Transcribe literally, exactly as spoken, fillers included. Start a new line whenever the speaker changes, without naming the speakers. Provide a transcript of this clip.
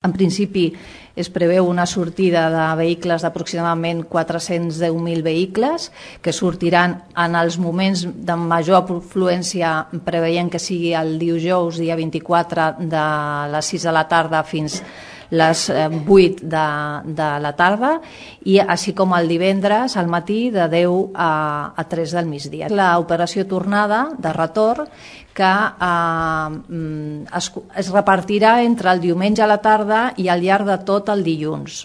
En principi es preveu una sortida de vehicles d'aproximadament quatre-cents deu mil vehicles que sortiran en els moments de major afluència, preveient que sigui el dijous, dia vint-i-quatre, de les sis de la tarda fins les vuit de, de la tarda, i així com el divendres al matí de deu a, a tres del migdia. L'operació tornada de retorn que eh, es, es repartirà entre el diumenge a la tarda i al llarg de tot el dilluns.